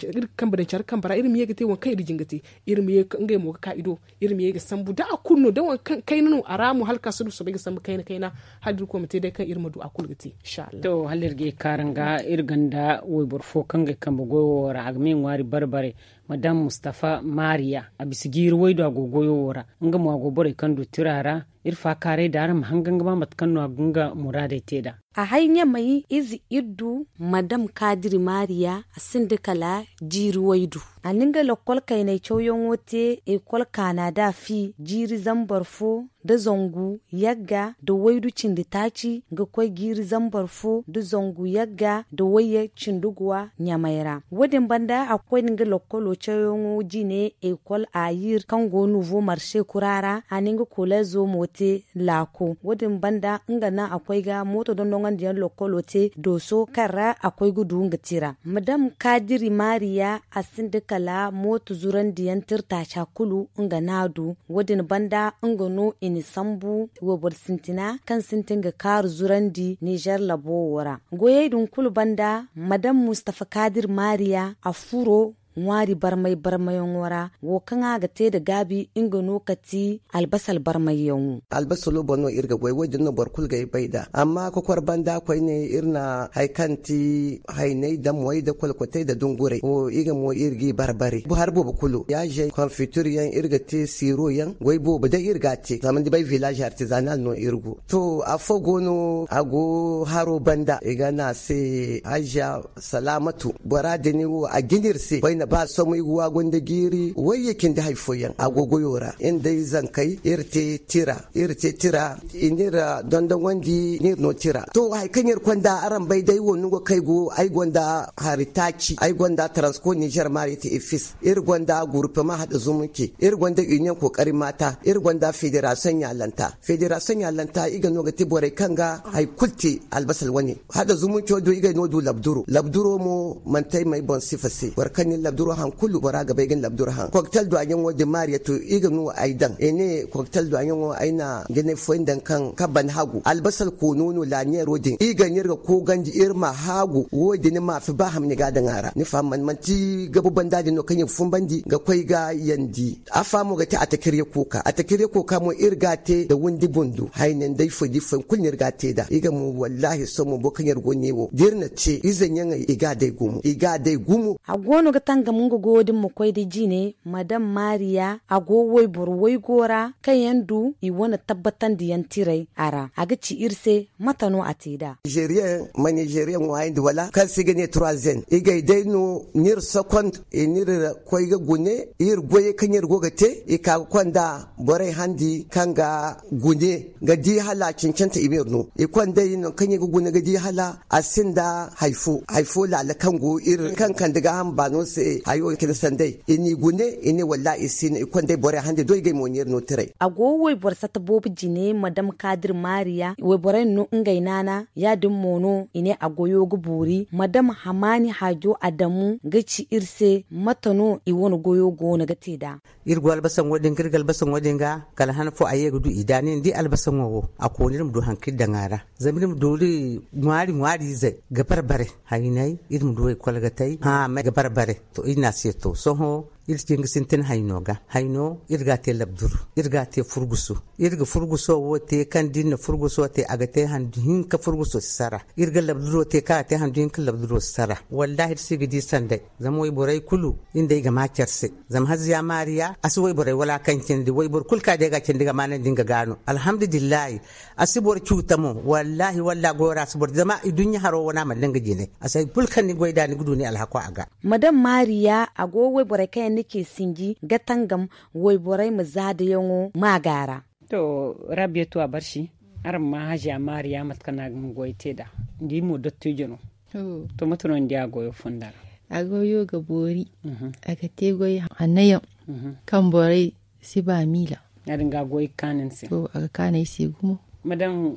care kambe ra iri ma ye ga te waŋ kaŋ iri jin ga te iri ma ye ngey mo ga ka i do. Iri ma ye ga sambu da a kulu no da waŋ kaŋ kayna no a ra mo hala ka si du soobay ga sambu kayna kayna hala da irkoy ma te day kaŋ iri ma du a kulu ga te. Inshallah. To hala iri ga ye kaaraŋ ga iri gonda wayboro fo kaŋ ga ay kambe goyo wo ra a ga ma ay ŋwaari bare bare. Madam mustafa mariya a bisa jiiri waydu a go goyo wo ra. Nga mo a go borey kaŋ du tira ra. Iri faakaaray da araŋ ma hangan ga ba mate kaŋ no a ga nga muraadey te nd'a. A hay ɲamay ize iri du madam kaadiri maariya a sinda kala jiiri waydu. A na nga lokkol kaynay cawyaŋo te ekol kaana da a fi jiiri zambar fo nda zangu yagga nda waydu cindi taaci ga koy jiiri zambar fo nda zangu yagga nda wayye cindi guwa ɲamay ra. Wo- din banda a koy nda nga lokkolo cawyaŋo jine ekol ayir kaŋ go nuvo marse kura ra a na nga kolezo mo te laako. Wo- din banda nga naŋ a koy ga mooto dondoŋandiyaŋ lokkolo te dooso kaŋ ra a koy ga du nga tira madam kaadiri maariya a sinda kala mooto zurandiyaŋ tirtaaca kulu nga naŋ a du. Wo- din banda nga no i na sambu wayboro sintina kaŋ sintin ga kaaru zurandi nizer labo wo ra. Goyey din kulu banda madam mustafa kaadiri maariya a furo ŋwaari barmay barmayaŋo ra wo kaŋ a ga te nda gaabi nga no ka ti albasal barmayyaŋo. Albasalo boŋ no iri ga goy wo- din no boro kulu ga ay bay nd'a amma kokor banda koyne iri na hari kaŋ ti haynay nda moy nda kolkotey nda dunguray wo i ga mo iri g'i barbari hari boobo kulu yaazey konfitir yaŋ iri ga te siiro yaŋ goy boobo day iri ga a te zama ni bay village artisanal no iri go. To afo go no a go haro banda i ga ne a se haziya salaamatu bora din wo a jina iri se koyne ba somoy ga waagu nda jiiri wayye cindi hari fooyaŋ a go goyo ra iri nda ay zankey iri te tira iri te tira i n'iri dondoŋandi n'iri no tira. To hari kaŋ iri konda araŋ bay day wo nango kaŋ ay go ay gonda hari taaci ay gonda taransko nizer maari te efis iri gonda gurupema hada zumunci iri gonda union kookari maata iri gonda federasiyoŋ ɲaalanta federasiyoŋ ɲaalanta i ga no ga te borey kaŋ ga hari kulu te albasal wane. Hada zumunco do i ga no du labduro labduro mo manti ay ma ay boŋ sifa se boro kaŋ na ni labduro hari kulu bora ga bay ga ni labduro haŋ koktel duwaɲaŋo din maariya to i ga no ay daŋ i ne koktel duwaɲaŋo ay na jinay fooyaŋ daŋ kaŋ kaban hagu albasal koono no laaɲeero din i ga no iri ga koogandi iri ma haagu wo- din maafi ba hamni ga a daŋ a ra ni faham man manti gabu banda din no kaŋ iri ga funbandi ga koy ga yandi. Afa mo ga te atakirya kooka atakirya kooka mo iri ga a te nda windi bundu hayne nda ifo da ifo yaŋ kulu no iri ga a te nd'a i ga mo wallahi sohõ mo boro kaŋ iri go ne wo da iri na te ize ɲaŋey i ga a day gumo i ga a day gumo. A go no ga tangam nga goyo din ma koy nda jine madam maariya a go wayboro waygo ra kaŋ yaŋ du i wane tabbatandiyaŋ tiray a ra a ga ci iri se mate no a te nd'a? Nizeriyeŋ ma nizeriyeŋ ŋwaayandi wala kaŋ se i ga ne trois n i g'ay day no ni iri sokond i n'iri koy ga gune iri goyey kaŋ iri go ga te i ka ga konda borey handi kaŋ ga gune ga di hala a cancanta i ma iri no i kondey nangu kaŋ i ga gune ga di hala a sinda hari fo hari fo laala kaŋ go iri kaŋ kande gaaham baano se hayo cine sanday i n'i gune i ne wallahi i si no i kondey borey handi do i g'ay mo n'iri no tiray. A go wayboro satta boobo jine madam kaadir maariya wayborey no ngey naana ya- din mo no i ne a goyo ga boori madam hamaani haajo adamu ga ci iri se mate no i wane goyo goono ga te nd'a? Iri go albasaŋo din ga iri ga albasaŋo din ga kala han fo a ye ga du i da ni na di albasaŋo wo a koona iri ma du hari kaŋ iri daŋ a ra zama iri ma du iri ŋwaari ŋwaari izey ga bare bare haynay iri ma du ekol ga tay hã ga bare bare. To iri ne a se to sohõ Iri cin ga sintin hayno ga. Hayno iri ga a te labduru, iri ga a te furguso. Iri ga furguso wo te kaŋ da iri na furguso te a ga te handu hinka furguso si sara. Iri ga labduro te kaŋ a ga te handu hinka labduro si sara. Wallahi iri si ga di sanday. Zama wayborey kulu iri nd'ey ga ma care se. Zama haziya maariya a si wayborey wala kaŋ cindi wayboro kulu kaŋ a day ga a cindi ga maanandi nga ga no alhamdulillahi. A si boro cuuta mo. Wallahi walla goyo ra a si boro zama i duɲɲa haro wane a mana nga jine. A si hari kulu kaŋ ni goy nd'a ni ga du ni alhako a ga. Madam maariya a go wayborey kaŋ yaŋ ni ce sinji ga tangam wayborey ma zaadayaŋo maaga ra. To, rabiya tu a barsi. Araŋ ma haziya maariya mate kaŋ no a ga nga goy te nd'a. Ni di mo dottijo no. To mate no ni di a goyo fonda ra? A goyo ga boori. A ga te goy hanno yaŋ kaŋ borey si ba miila. Ya- din ga a goy ga kaanu ni se. To a ga kaanu ay se gumo. Madam,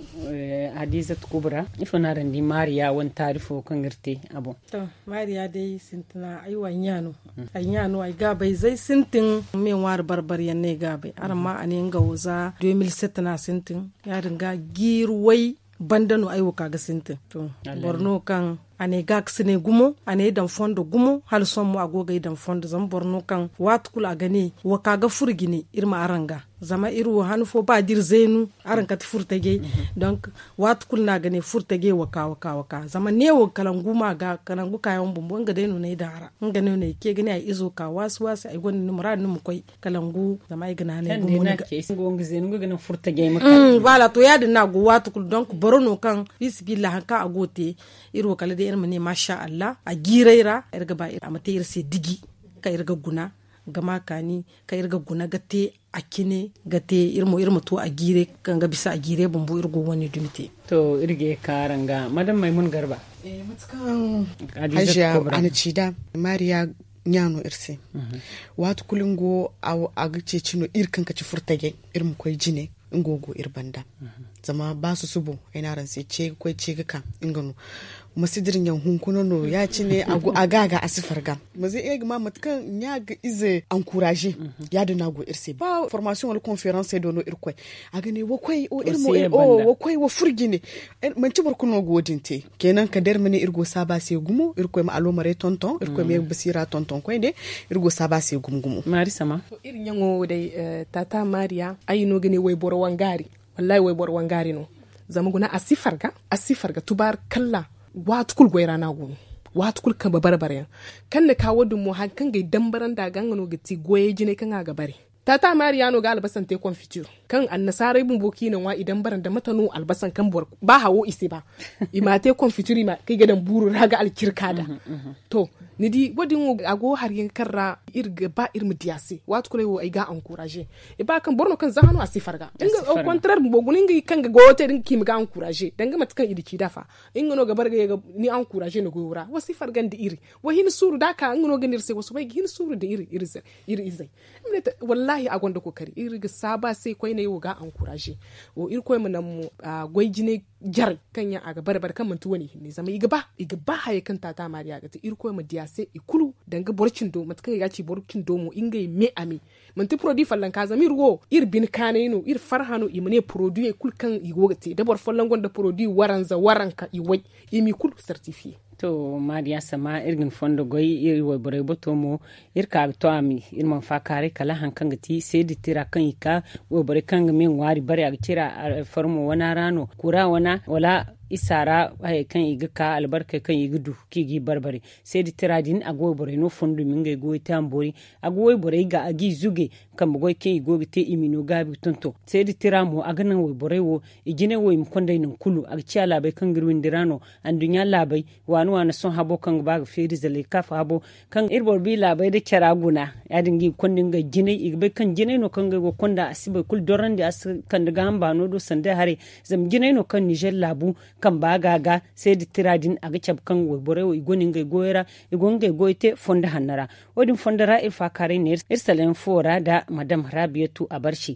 hadiizatu kubra, ifo no araŋ di maariya wane taari fo kaŋ iri te a boŋ? To, maariya day sintina ay wa ay ɲa no. Ay ɲa no ay gaabay z'ay sintin me ŋwaari barbari yaŋ no ay gaabay araŋ ma a ne nga wo za deux mille sept no a sintin. Ya- din ga jiiri way banda no ay wo ka ga sintin. To, boro no kaŋ a ne ga ga si ne gumo a ne ay daŋ fondo gumo hala sohõ mo a go ga ay daŋ fondo zama boro no kaŋ waati kulu a ga ne wa ka ga furo jine iri ma araŋ ga. Zama iri wo han fo ba da iri zaynu araŋ kate furtajey. Donk waati kulu no a ga ne furtajey wa ka wa ka wa ka zama neewo kalangu ma ga kalangu kaayaŋ bumbo nga day no no ay daŋ a ra. Nga no no ay ce ga ne ay izo ka waasi waasi ay gonda ni muraadu ni ma koy kalangu zama ay ga naanay gumo ni ga. Nga ga naŋ furtajey ma kala. Voilà to ya- din no a go waati kulu donk boro no kaŋ fiisabilillahi hari kaŋ a go ga te iri wo kala day iri ma ne maasa allah a jiiray ra iri ga ba a ma te iri se diji kaŋ iri ga guna ga ma kaani kaŋ iri ga guna ga te a cine ga te iri mo iri ma to a jiiray kaŋ ga bisa a jiiray bumbo iri go wane dumi te. To iri ga ye ga ka araŋ ga madam maymun garba. Mate kaŋ hajiya a na ci nd'a maariya ɲa no iri se. Waati kulu nga wo a ga ceeci no iri kaŋ ga ci furtajey iri ma koy jine. Nga wo go iri banda zama ba susubo ay ne araŋ se ce ga koy ce ga ka nga no. Ma si dira ɲaŋ hunkuna no ya- cine a ga a ga a si farga. Ma zay ay ga ma mate kaŋ ɲa ga ize ankuraaze ya- din no a go iri se ba formasiyoŋ wala konferansey do no iri koy. A ga ne wa koy wa furo jine. Manti boro kulu no ga wo- din te. Kenan kala day iri ma ne iri go ga saabu a se gumo irkoy ma aloomarey tonton irkoy ma ye ga basiira tonton koyne. Iri go ga saabu a se gumo gumo. Maari sama. Iri ɲaŋo wo day, taata maariya ay no ga ne wayboro wangaari. Wallaahi wayboro wangaari no. Zama guna a si farga a si farga tubaari kalla. Waati kulu goy ra no a go no. Waati kulu kambe bare bare yaŋ kaŋ na ka wo- din mo hari kaŋ ga ay dambarandi a ga nga no ga ti goyey jinay kaŋ a ga bare. Taata maariya no ga albasan te konfitir kaŋ annasaarey bumbo kaŋ i na ŋwa i dambarandi mate no albasan kaŋ boro ba hawo i si ba. I m'a te konfitir i ma kaŋ i ga daŋ buuru ra ga alcirka nd'a. To ni di wo- din wo a go hari yaŋ kaŋ ra iri ga ba iri ma di a se waati kulu ay wo ay ga a ankuraaze. Ay ba kaŋ boro no kaŋ za hano a si farga nga au kontareer bumbo guna ngey kaŋ ga goyo te da nga kaŋ i ma ga ankuraaze danga mate kaŋ i na ci nd'a fa. Nga no ga bare ga ye ga ni ankuraaze ni goyo ra wa si farga nda iri. Wa hin suuru da a ka nga no ga ne iri se wa soobay ga hin suuru nda iri iri izey. Wallaahi a gonda kookari iri ga saabu a se koyney wo ga a ankuraaze. Wo irkoy ma naŋ mo goy jine jarey kaŋ yaŋ a ga bare bare kaŋ manti wane hinne zama i ga ba i ga ba hayey kaŋ taata maariya ga te irkoy ma di a se i kulu danga boro cindo mate kaŋ i ga a ci boro cindo mo ngey me a me. Manti porodi follanka zama iri wo iri bine kaanay no iri farha no i ma ne porodiyey kulu kaŋ i go ga te da boro folloŋ gonda porodi waranza waranka i way i m'i kulu sartifiye. To maariya sama iri ga ni fondo goy iri wayborey bato mo. Iri ka ga to a ma iri mana faakaaray kala hari kaŋ ga ti seedi tira kaŋ i ka wayborey kaŋ ga me ŋwaari bare a ga cira alfarmo wana ra no kura wana wala isa ra hayey kaŋ i ga ka albarkey kaŋ i ga du kaŋ i g'i barbare. Seedi tira din a ga wayborey no fondo i ma ngey goyo te a ma boori. A ga wayborey ga a g'i zuge kambe goy kaŋ i go ga te i m'i no gaabi ga tonton seedi tira mo a ga naŋ wayborey wo i jinay wo i ma konday nangu kulu a ga ciya laabey kaŋ ga iri windi ra no. Anduɲɲa laabey waani waani sohõ habo kaŋ ga ba ga feeri zalay kaafa habo kaŋ iri boro bi laabey nda cara guna. Ya- din ga i ga konda ngey jinay i ga bay kaŋ jinay no kaŋ ngey go ga konda a si boro kulu dorandi a si kande gaaham baano do sanda haray. Zama jinay no kaŋ nizer laabu kamba ga ga seedi tira din a ga cabe kaŋ wayborey wo i gonda ngey goyo ra i go ga ngey goyo te fondo hanno ra. Wo- din fondo ra iri faakaaray ne iri salayaŋ fo ra nda madam raabiyatu abarsi.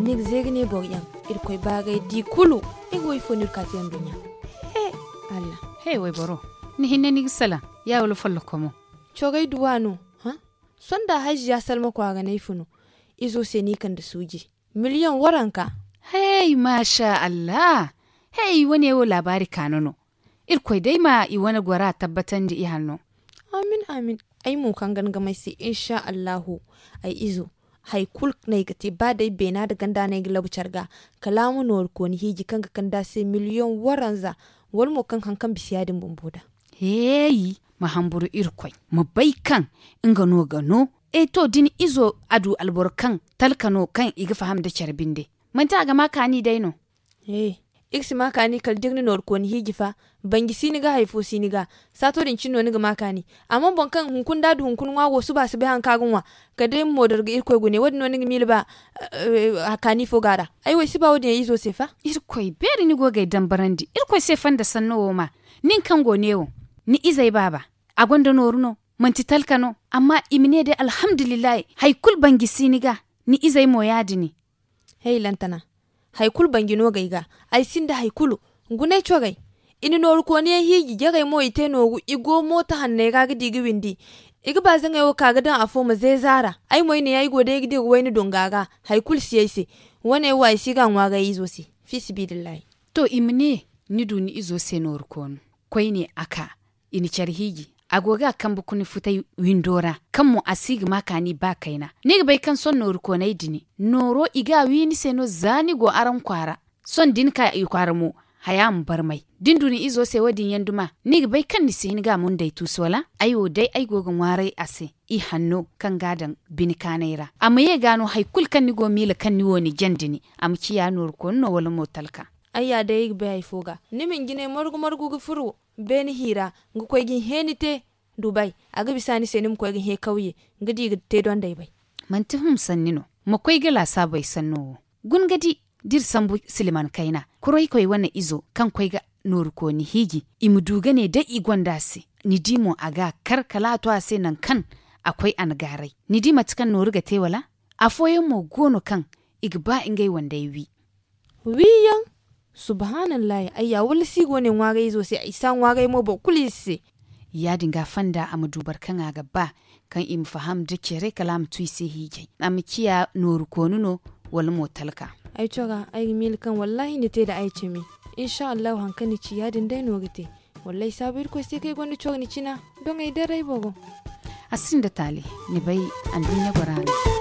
Ni ga zeega ne boro yaŋ, irkoy baagay di kulu. Ni ga woy fo no iri ka te nduɲɲa? He, allah. He wayboro, ni hinne ni ga salaŋ, ya wala follokomo? Cogay duwa no. Sonda hajji ya salma kwaara no ay funu. Izo se no i kande suuji miliyoŋ waranka. Hey maasa allah. Hey wane wo laabaari kaano no. Irkoy day ma i wane gora tabbatandi i hanno. Amin amin. Ay mo kaŋ ga ni ga may se insha allahu. Ay izo, hari kulu no ay ga te ba day beena nda ganda no ay ga labu care ga. Kala a ma nooru kooni hiiji kaŋ ga kande a se miliyoŋ waranza. Wala mo kaŋ hari kaŋ bisa ya- din bumbo da. Heeyi, ma hamburu irkoy, ma bay kaŋ nga no ga no. E to da ni izo a du alboro kaŋ talka no kaŋ i ga faham nda care binde, manti a ga ma kaani day no? He, iri si ma kaani kala da iri na nooru kooni hiiji fa. Banji si ni ga hari fo si ni ga. Saato din cine no ni ga ma kaani. Amma boro kaŋ hunkuna da a du hunkuna ŋwa wo suba a si bay hari kaŋ a ga ŋwa. Kala day ma moodoro ga irkoy gune wo- din no ni ga miila ba? Kaani fo go a ra. Ay wo ay si ba wo- din yaŋ izo se fa. Irkoy beeri ni go ga ay dambarandi irkoy se fanda sanno wo ma. Nin kaŋ go neewo, ni izey baaba, a gonda nooru no? Manti talka no? Amma i ma ne day alhamdulillahi, hari kulu banji si ni ga. Ni izey mo ya- din. Hey lantana, hari kulu banji no ga ay ga. Ay sinda hari kulu. Gunay corey, i na nooru kooniyaŋ hiiji jarey mo i te nooru i go mooto hanney ra ga di ga windi. I ga baazaŋey wo ka ga daŋ afo ma zeeza a ra. Ay mo ay ne ay go day ga dira wayna donga ra. Hari kulu si ay se. Wane wo ay si ga a ŋwaaray izo se. Fiisibidillahi. To i ma ne, ni du ni izo se nooru koonu. Koyne a ka, i na care hiiji. A go ga a kambe kuna futay windo ra, kaŋ mo a si ga ma kaani ba kayna. Ni ga bay kaŋ sohõ nooru koonay din, nooro i ga a wi ni se no za ni go araŋ kwaara. Sohõ da ni ka i kwaara mo, haya ma barmay. Da ni du ni izo se wo- din yaŋ duma, ni ga bay kaŋ ni si hin ga a munday tuusu wala? Ay wo day ay go ga ŋwaaray a se, i hanno kaŋ ga a daŋ bine kaanay ra. A ma ye ga no hari kulu kaŋ ni go miila kaŋ ni wo ni jandi ni, a ma ciya nooru koonu no wala mo talka. Ay ya day ay ga bay hari fo ga, ni ma ni jinay margu margu ga furo beene hiira, ga koy ga ni heeni te. Dubay, a ga bisa ni se ni ma koy ga hẽ kawye, ga di ga te donday bay. Manti hum sanni no. Ma koy ga laasaabey sanno wo. Guna ga di, da iri sambu silman kayna, koroykey wane izo kaŋ koy ga nooru kooni hiiji, i ma du ga ne day i gonda a se. Ni di mo a ga a kar kala a to a se nangu kaŋ a koy a na gaaray. Ni di mate kaŋ nooru ga te wala? Afooyaŋ mo go no kaŋ i ga ba ngey wandey wi. Wiiyaŋ. Subhaanallahi, ayya wala si go ne ŋwaarayzo se ay si a ŋwaaray mo boro kulu ize se. Ya- din ga fonda a ma du boro kaŋ a ga ba, kaŋ i ma faham nda care kala a ma tu i se hiijay, a ma ciya nooru koonu no, wala mo talka. Ay cora ay ga miila kaŋ wallahi ni te nda ay cimi. Insa allahu hari kaŋ ni ci ya- din day no ga te. Wallaahi saabu irkoy se kaŋ ay gonda coro ni cina, doŋ ay daray bogo. A sinda taali, ni bay, anduɲɲa gora no.